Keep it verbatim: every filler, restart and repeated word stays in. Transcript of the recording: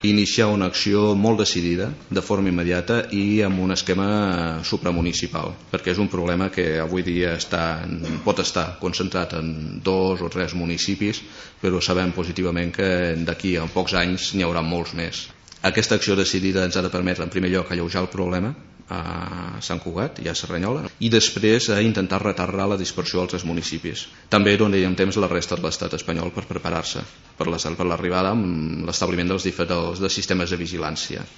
Iniciar una acció molt decidida, de forma immediata i amb un esquema supramunicipal, perquè és un problema que avui dia està, pot estar concentrat en dos o tres municipis, però sabem positivament que d'aquí a pocs anys n'hi haurà molts més. Aquesta acció decidida ens ha de permetre, en primer lloc, alleujar el problema a Sant Cugat i a Cerdanyola, i després a intentar retardar la dispersió als municipis. També donaríem temps a la resta de l'estat espanyol per preparar-se per l'arribada amb l'establiment dels, dels sistemes de vigilància.